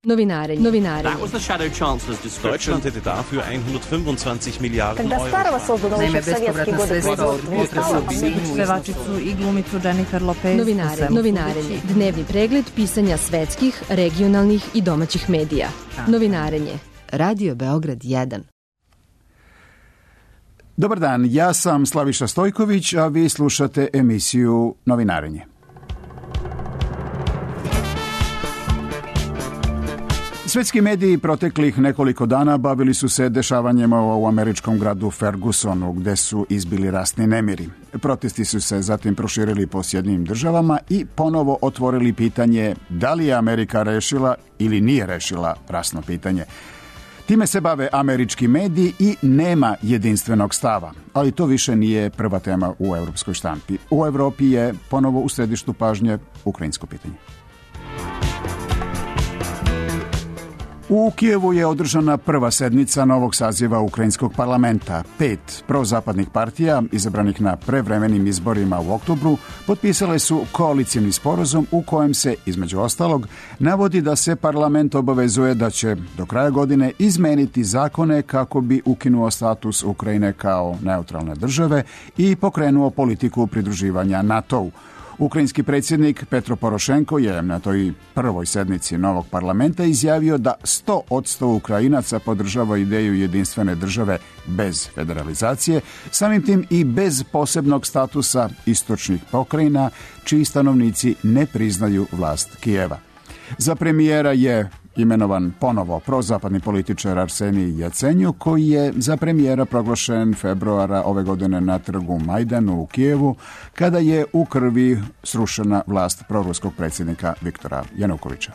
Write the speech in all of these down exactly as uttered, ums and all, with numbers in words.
Novinarenje. Novinarenje. That was the shadow chancellor's description. Deutschland hätte dafür hundertfünfundzwanzig Miliarden Euro. Naime, bespovratna sredstva od potresa u Sinju. Pevačicu i glumicu Jennifer Lopez. Novinarenje. Novinarenje. Dnevni pregled pisanja svetskih, regionalnih i domaćih medija. Novinarenje. Radio Beograd jedan. Dobar dan, ja sam Slaviša Stojković, a vi slušate emisiju Novinarenje. Svetski mediji proteklih nekoliko dana bavili su se dešavanjima u američkom gradu Fergusonu, gde su izbili rasni nemiri. Protesti su se zatim proširili po Sjedinjenim državama i ponovo otvorili pitanje da li je Amerika rešila ili nije rešila rasno pitanje. Time se bave američki mediji i nema jedinstvenog stava, ali to više nije prva tema u evropskoj štampi. U Evropi je ponovo u središtu pažnje ukrajinsko pitanje. U Kijevu je održana prva sednica novog saziva ukrajinskog parlamenta. Pet prozapadnih partija, izabranih na prevremenim izborima u oktobru, potpisale su koalicijni sporazum u kojem se, između ostalog, navodi da se parlament obavezuje da će do kraja godine izmeniti zakone kako bi ukinuo status Ukrajine kao neutralne države i pokrenuo politiku pridruživanja NATO-u. Ukrajinski predsjednik Petro Porošenko je na toj prvoj sednici novog parlamenta izjavio da sto posto Ukrajinaca podržava ideju jedinstvene države bez federalizacije, samim tim i bez posebnog statusa istočnih pokrajina, čiji stanovnici ne priznaju vlast Kijeva. Za premijera je imenovan ponovo prozapadni političar Arsenij Jacenjuk, koji je za premijera proglašen februara ove godine na trgu Majdanu u Kijevu, kada je u krvi srušena vlast proruskog predsjednika Viktora Janukovića.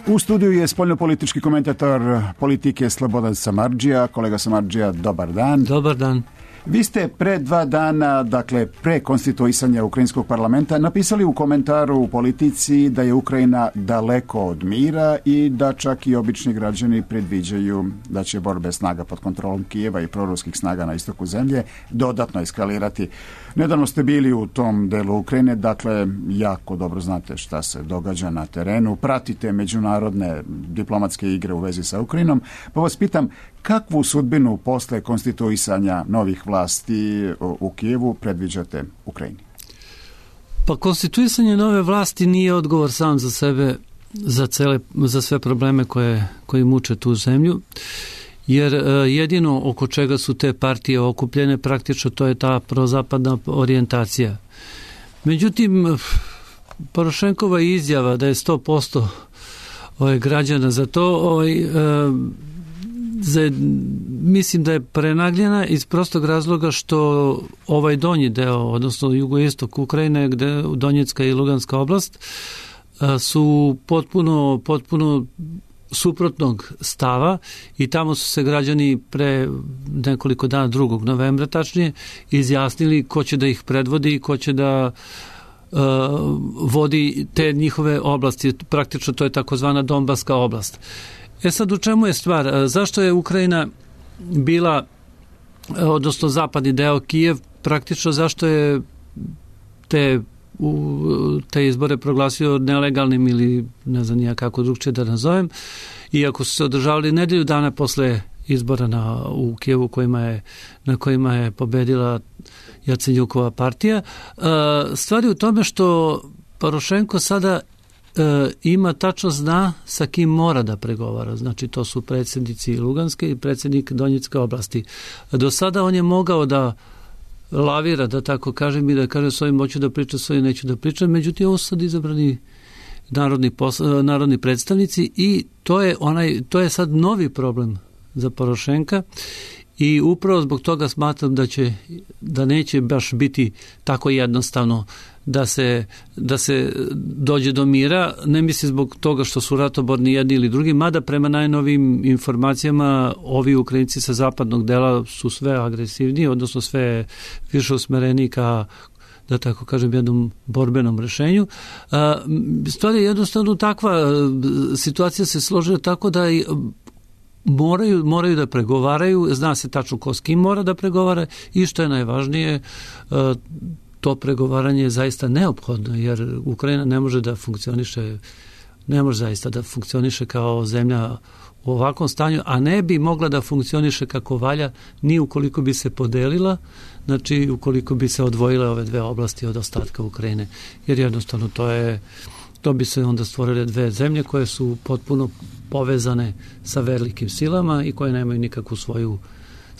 U studiju je spoljnopolitički komentator politike Slobodan Samardžija. Kolega Samardžija, dobar dan. Dobar dan. Vi ste pre dva dana, dakle pre konstituisanja Ukrajinskog parlamenta, napisali u komentaru u Politici da je Ukrajina daleko od mira i da čak i obični građani predviđaju da će borbe snaga pod kontrolom Kijeva i proruskih snaga na istoku zemlje dodatno eskalirati. Nedavno ste bili u tom delu Ukrajine, dakle jako dobro znate šta se događa na terenu, pratite međunarodne diplomatske igre u vezi sa Ukrajinom, pa vas pitam kakvu sudbinu posle konstituisanja novih vlasti u Kijevu predviđate Ukrajini? Pa konstituisanje nove vlasti nije odgovor sam za sebe, za, cele, za sve probleme koje, koji muče tu zemlju, jer jedino oko čega su te partije okupljene praktično to je ta prozapadna orijentacija. Međutim, Porošenkova izjava da je sto posto ovaj, građana za to ovaj, za, mislim da je prenagljena iz prostog razloga što ovaj donji deo, odnosno jugoistok Ukrajine, gde Donjecka i Luganska oblast, su potpuno, potpuno suprotnog stava i tamo su se građani pre nekoliko dana, drugog novembra tačnije, izjasnili ko će da ih predvodi i ko će da uh, vodi te njihove oblasti. Praktično to je takozvana Donbaska oblast. E sad, u čemu je stvar? Zašto je Ukrajina bila, odnosno zapadni deo Kijev, praktično zašto je te, u, te izbore proglasio nelegalnim ili ne znam nija kako drugčije da nazovem, iako su se održavali nedelju dana posle izbora na, u Kijevu kojima je, na kojima je pobedila Jacenjukova partija. Stvar je u tome što Porošenko sada ima tačno zna sa kim mora da pregovara. Znači to su predsjednici Luganske i predsjednik Donjecke oblasti. Do sada on je mogao da lavira, da tako kažem, i da kaže svojim hoću da pričam, svojim neću da pričam, međutim ovo su sad izabrani narodni, posla, narodni predstavnici i to je, onaj, to je sad novi problem za Porošenka i upravo zbog toga smatram da će, da neće baš biti tako jednostavno da se, da se dođe do mira, ne misli zbog toga što su ratoborni jedni ili drugi, mada prema najnovim informacijama ovi Ukrajinci sa zapadnog dela su sve agresivniji, odnosno sve više usmereni ka, da tako kažem, jednom borbenom rešenju. Stvar je jednostavno takva, situacija se složila tako da i moraju, moraju da pregovaraju, zna se tačno ko s kim mora da pregovara i što je najvažnije, to pregovaranje je zaista neophodno, jer Ukrajina ne može da funkcioniše, ne može zaista da funkcioniše kao zemlja u ovakvom stanju, a ne bi mogla da funkcioniše kako valja ni ukoliko bi se podelila, znači ukoliko bi se odvojile ove dve oblasti od ostatka Ukrajine, jer jednostavno to je, to bi se onda stvorile dve zemlje koje su potpuno povezane sa velikim silama i koje nemaju nikakvu svoju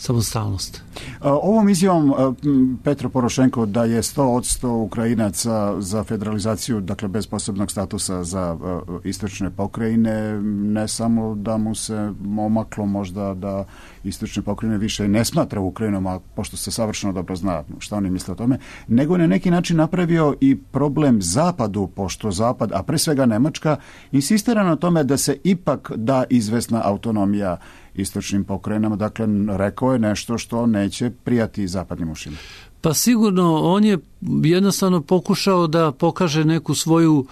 samostalnost. Ovom izjavom Petro Porošenko da je sto posto Ukrajinaca za federalizaciju, dakle bez posebnog statusa za istočne pokrajine, ne samo da mu se omaklo možda da istočne pokrajine više i ne smatra Ukrajinom, a pošto se savršeno dobro zna šta oni misle o tome, nego je na neki način napravio i problem Zapadu, pošto Zapad, a pre svega Nemačka, insistira na tome da se ipak da izvesna autonomija istočnim pokrajinama, dakle rekao je nešto što neće prijati zapadnim ušima. Pa sigurno on je jednostavno pokušao da pokaže neku svoju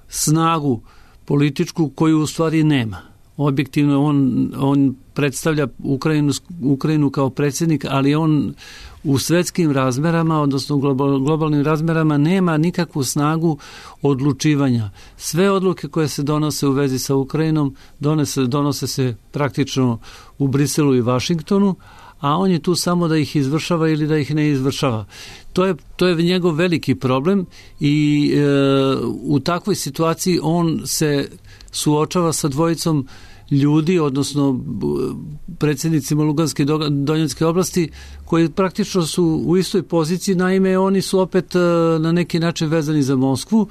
snagu političku koju u stvari nema. Objektivno on, on predstavlja Ukrajinu, Ukrajinu kao predsjednik, ali on u svetskim razmerama, odnosno u global, globalnim razmerama nema nikakvu snagu odlučivanja. Sve odluke koje se donose u vezi sa Ukrajinom donose, donose se praktično u Briselu i Vašingtonu, a on je tu samo da ih izvršava ili da ih ne izvršava. To je, to je njegov veliki problem i e, u takvoj situaciji on se suočava sa dvojicom ljudi, odnosno predsjednicima Luganske i Donjecké oblasti, koji praktično su u istoj poziciji, naime oni su opet na neki način vezani za Moskvu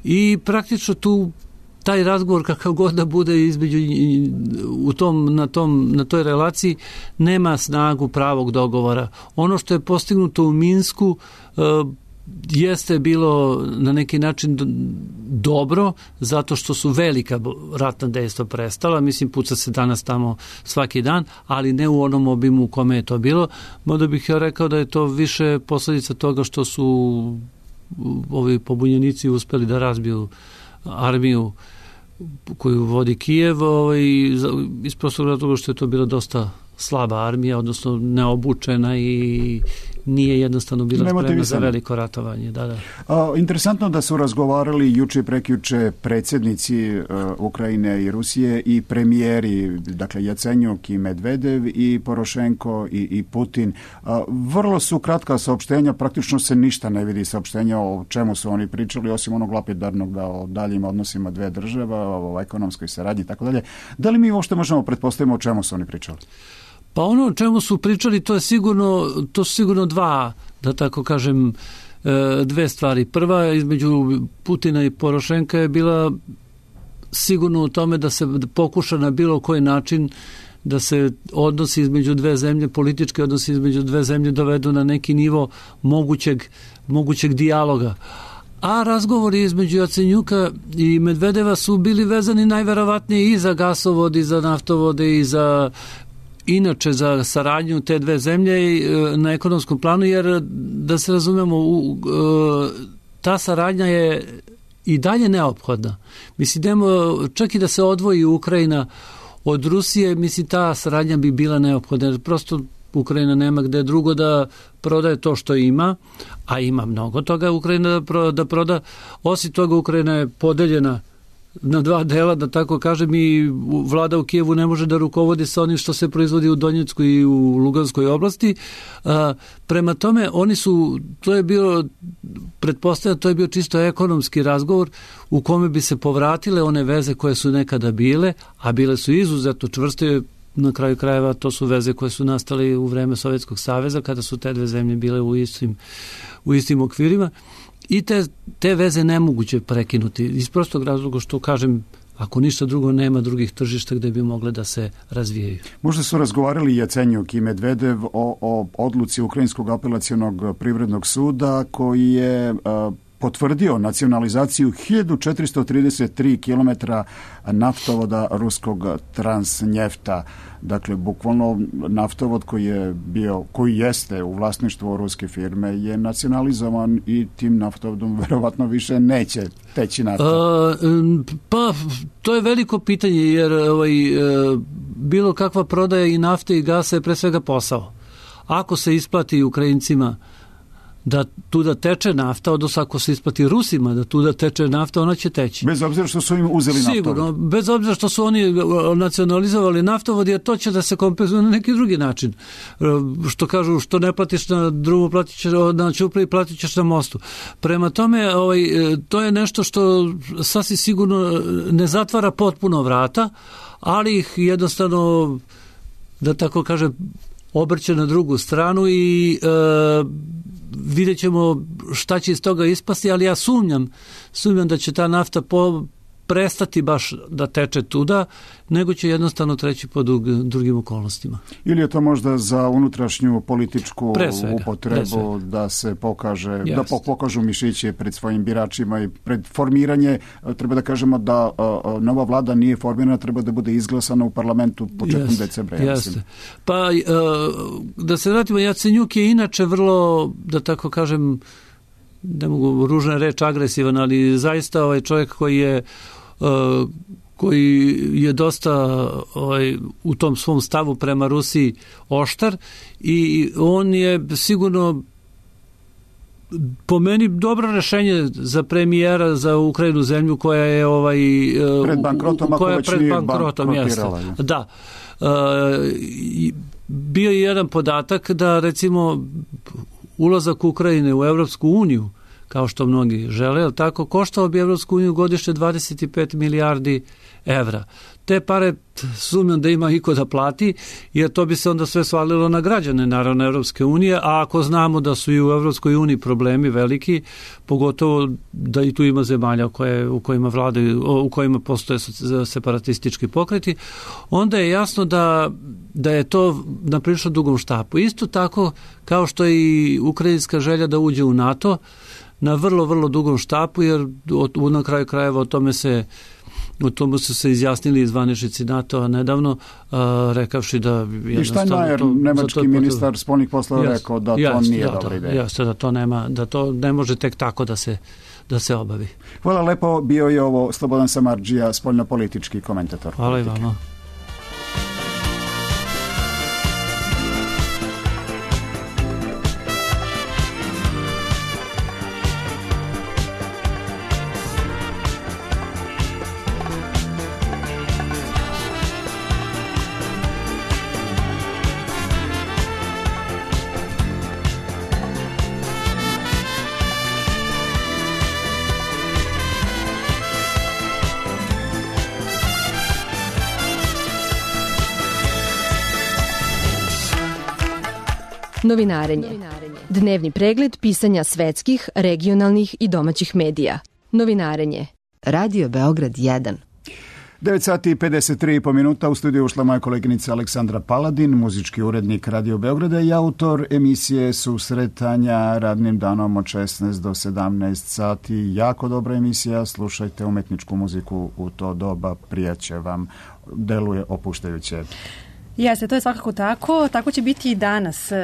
i praktično tu taj razgovor kakav god da bude između u tom, na, tom, na toj relaciji nema snagu pravog dogovora. Ono što je postignuto u Minsku jeste bilo na neki način dobro, zato što su velika ratna dejstva prestala, mislim puca se danas tamo svaki dan, ali ne u onom obimu u kome je to bilo. Možda bih ja rekao da je to više posljedica toga što su ovi pobunjenici uspeli da razbiju armiju koju vodi Kijev, ovaj, iz prostog razloga što je to bila dosta slaba armija, odnosno neobučena i nije jednostavno bila spremna za veliko ratovanje. Da, da. A, interesantno da su razgovarali juče i prekjuče predsjednici uh, Ukrajine i Rusije i premijeri, dakle Jacenjuk i Medvedev i Porošenko i, i Putin. A, vrlo su kratka saopštenja, praktično se ništa ne vidi saopštenja o čemu su oni pričali, osim onog lapidarnog da o daljim odnosima dve države, o ekonomskoj saradnji i tako dalje. Da li mi uopšte možemo pretpostaviti o čemu su oni pričali? Pa ono o čemu su pričali, to je sigurno, to su sigurno dva, da tako kažem, dve stvari. Prva između Putina i Porošenka je bila sigurno u tome da se pokuša na bilo koji način da se odnosi između dve zemlje, politički odnosi između dve zemlje dovedu na neki nivo mogućeg, mogućeg dijaloga. A razgovori između Jacenjuka i Medvedeva su bili vezani najverovatnije i za gasovod, i za naftovode, i za inače za saradnju te dve zemlje na ekonomskom planu, jer da se razumemo, ta saradnja je i dalje neophodna. Mislim, čak i da se odvoji Ukrajina od Rusije, mislim, ta saradnja bi bila neophodna. Prosto Ukrajina nema gde drugo da prodaje to što ima, a ima mnogo toga Ukrajina da proda. Osim toga, Ukrajina je podeljena na dva dela, da tako kažem, i vlada u Kijevu ne može da rukovodi sa onim što se proizvodi u Donjeckoj i u Luganskoj oblasti. A, prema tome, oni su, to je bio, pretpostavljam, to je bio čisto ekonomski razgovor u kome bi se povratile one veze koje su nekada bile, a bile su izuzetno čvrste. Na kraju krajeva to su veze koje su nastale u vreme Sovjetskog saveza, kada su te dve zemlje bile u istim, u istim okvirima. I te, te veze nemoguće prekinuti iz prostog razloga što, kažem, ako ništa drugo, nema drugih tržišta gde bi mogle da se razvijaju. Možda su razgovarali Jacenjuk i Medvedev o, o odluci Ukrajinskog apelacionog privrednog suda koji je a, potvrdio nacionalizaciju hiljadu četiristo trideset tri kilometra naftovoda ruskog Transnjefta. Dakle, bukvalno naftovod koji je bio, koji jeste u vlasništvu ruske firme je nacionalizovan i tim naftovodom verovatno više neće teći nafta. A, pa, to je veliko pitanje, jer ovaj, bilo kakva prodaja i nafte i gasa je pre svega posao. Ako se isplati Ukrajincima da tu da teče nafta, odnosno ako se isplati Rusima da tu da teče nafta, ona će teći. Bez obzira što su im uzeli naftovod. Sigurno, bez obzira što su oni nacionalizovali naftovod, jer to će da se kompenzuje na neki drugi način. Što kažu, što ne platiš na drumu, platit ćeš na ćupriji, platit ćeš na mostu. Prema tome, ovaj, to je nešto što sasvim sigurno ne zatvara potpuno vrata, ali ih jednostavno, da tako kažem, obrće na drugu stranu i e, vidjet ćemo šta će iz toga ispasti, ali ja sumnjam, sumnjam da će ta nafta po, prestati baš da teče tuda, nego će jednostavno treći pod drugim okolnostima. Ili je to možda za unutrašnju političku svega, upotrebu da se pokaže, yes. da pokažu mišiće pred svojim biračima i pred formiranje, treba da kažemo da uh, nova vlada nije formirana, treba da bude izglasana u parlamentu početkom yes. decembra. Ja Jeste. Pa uh, da se vratimo, Jacenjuk je inače vrlo, da tako kažem, ne mogu ružna reč, agresivan, ali zaista ovaj čovjek koji je uh, koji je dosta ovaj, u tom svom stavu prema Rusiji oštar i on je sigurno po meni dobro rešenje za premijera za Ukrajinu, zemlju koja je ovaj pred bankrotom, koja je pred bankrotom, jeste. Da. Uh, bio je jedan podatak da recimo ulazak Ukrajine u Evropsku uniju, kao što mnogi žele, ali tako, koštao bi Evropsku uniju godišnje dvadeset pet milijardi evra. Te pare sumnjam da ima iko da plati, jer to bi se onda sve svalilo na građane, naravno, Evropske unije, a ako znamo da su i u Evropskoj uniji problemi veliki, pogotovo da i tu ima zemalja koje, u kojima vladaju, u kojima postoje separatistički pokreti, onda je jasno da, da je to na prilično dugom štapu. Isto tako kao što je i ukrajinska želja da uđe u NATO, na vrlo, vrlo dugom štapu, jer od, na kraju krajeva o tome se o tomu su se izjasnili i zvaničnici NATO-a nedavno, a, rekavši da jednostavno... I Steinmeier, to, nemački to ministar spoljnih poslova, jest, rekao da jest, to nije da, dobra ideja. Jeste, da to nema, da to ne može tek tako da se, da se obavi. Hvala lepo, bio je ovo Slobodan Samardžija, spoljnopolitički komentator. Hvala i vama. Novinarenje. Dnevni pregled pisanja svetskih, regionalnih i domaćih medija. Novinarenje. Radio Beograd jedan. devet sati i pedeset tri i po minuta, u studiju ušla moja koleginica Aleksandra Paladin, muzički urednik Radio Beograda i autor emisije Susretanja radnim danom od šesnaest do sedamnaest sati. Jako dobra emisija, slušajte umetničku muziku u to doba, prijaće vam, deluje opuštajuće. Jeste, to je svakako tako. Tako će biti i danas. E,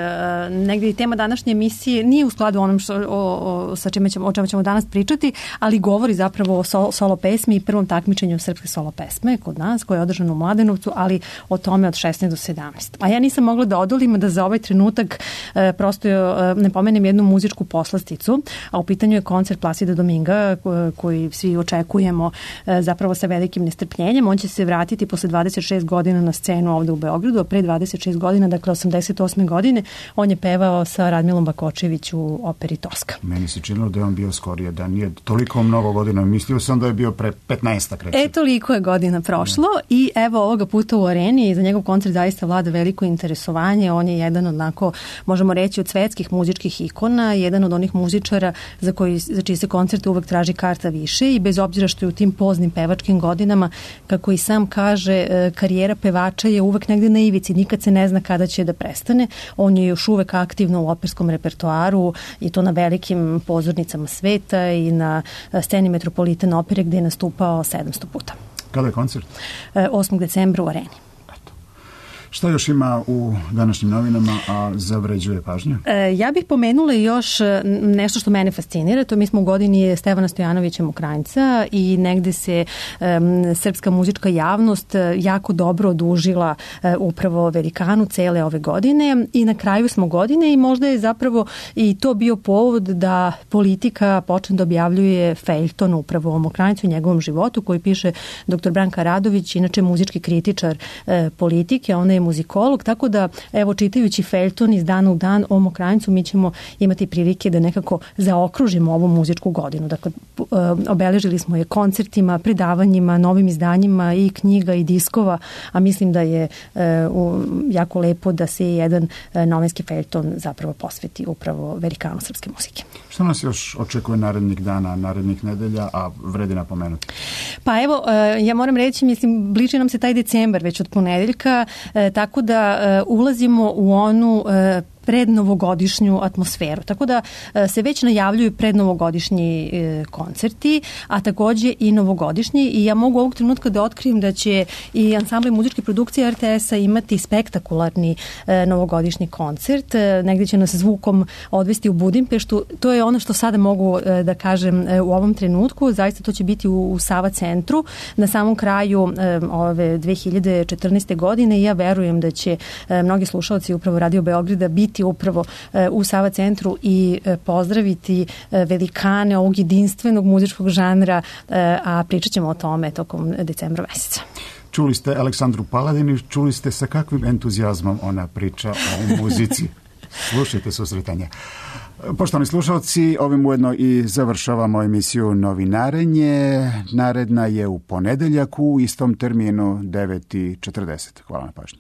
negdje i tema današnje emisije nije u skladu onom što, o, o, sa čime ćemo, o čemu ćemo danas pričati, ali govori zapravo o sol, solo pesmi i prvom takmičenju srpske solo pesme kod nas, koje je održano u Mladenovcu, ali o tome od šesnaest do sedamnaest. A ja nisam mogla da odolim da za ovaj trenutak e, prosto e, ne pomenem jednu muzičku poslasticu, a u pitanju je koncert Plasida Dominga ko, koji svi očekujemo e, zapravo sa velikim nestrpljenjem. On će se vratiti posle dvadeset šest godina na scenu ovde u Beogradu. Pre dvadeset šest godina, dakle osamdeset osme godine, on je pevao sa Radmilom Bakočević u operi Toska. Meni se činilo da je on bio skorije, da nije toliko mnogo godina. Mislio sam da je bio pre petnaestak. E, toliko je godina prošlo ne. I evo ovoga puta u areni za njegov koncert zaista vlada veliko interesovanje. On je jedan onako, možemo reći, od svetskih muzičkih ikona, jedan od onih muzičara za, koji, za čiji se koncerte uvek traži karta više i bez obzira što je u tim poznim pevačkim godinama, kako i sam kaže, karijera pevača je uvek negde na ivici, nikad se ne zna kada će da prestane. On je još uvek aktivno u operskom repertoaru i to na velikim pozornicama sveta i na sceni Metropolitan opere gde je nastupao sedamsto puta. Kada je koncert? osmog decembra u areni. Šta još ima u današnjim novinama, a zavređuje pažnju? E, ja bih pomenula još nešto što mene fascinira. To mi smo u godini Stevana Stojanovića Mokranjca i negde se um, srpska muzička javnost jako dobro odužila uh, upravo velikanu cele ove godine i na kraju smo godine i možda je zapravo i to bio povod da politika počne da objavljuje feljton upravo o Mokranjcu i njegovom životu koji piše doktor Branka Radović, inače muzički kritičar uh, politike, ona je muzikolog, tako da evo čitajući feljton iz dana u dan o Mokranjcu mi ćemo imati prilike da nekako zaokružimo ovu muzičku godinu. Dakle, obeležili smo je koncertima, predavanjima, novim izdanjima i knjiga i diskova, a mislim da je jako lepo da se jedan novinski feljton zapravo posveti upravo velikanu srpske muzike. Što nas još očekuje narednih dana, narednih nedelja, a vredi napomenuti? Pa evo, ja moram reći, mislim, bliži nam se taj decembar već od ponedeljka, tako da ulazimo u onu prednovogodišnju atmosferu. Tako da se već najavljuju prednovogodišnji koncerti, a takođe i novogodišnji i ja mogu ovog trenutka da otkrijem da će i ansambl muzičke produkcije R T S-a imati spektakularni novogodišnji koncert. Negde će nas zvukom odvesti u Budimpeštu. To je ono što sada mogu da kažem u ovom trenutku. Zaista to će biti u Sava centru na samom kraju ove dve hiljade četrnaeste. godine i ja verujem da će mnogi slušalci upravo Radio Beograda biti upravo u Sava centru i pozdraviti velikane ovog jedinstvenog muzičkog žanra, a pričat ćemo o tome tokom decembra meseca. Čuli ste Aleksandru Paladinu, čuli ste sa kakvim entuzijazmom ona priča o muzici. Slušajte susretanje. Poštovani slušalci, ovim ujedno i završavamo emisiju Novinarenje. Naredna je u ponedeljak u istom terminu devet i četrdeset. Hvala na pažnji.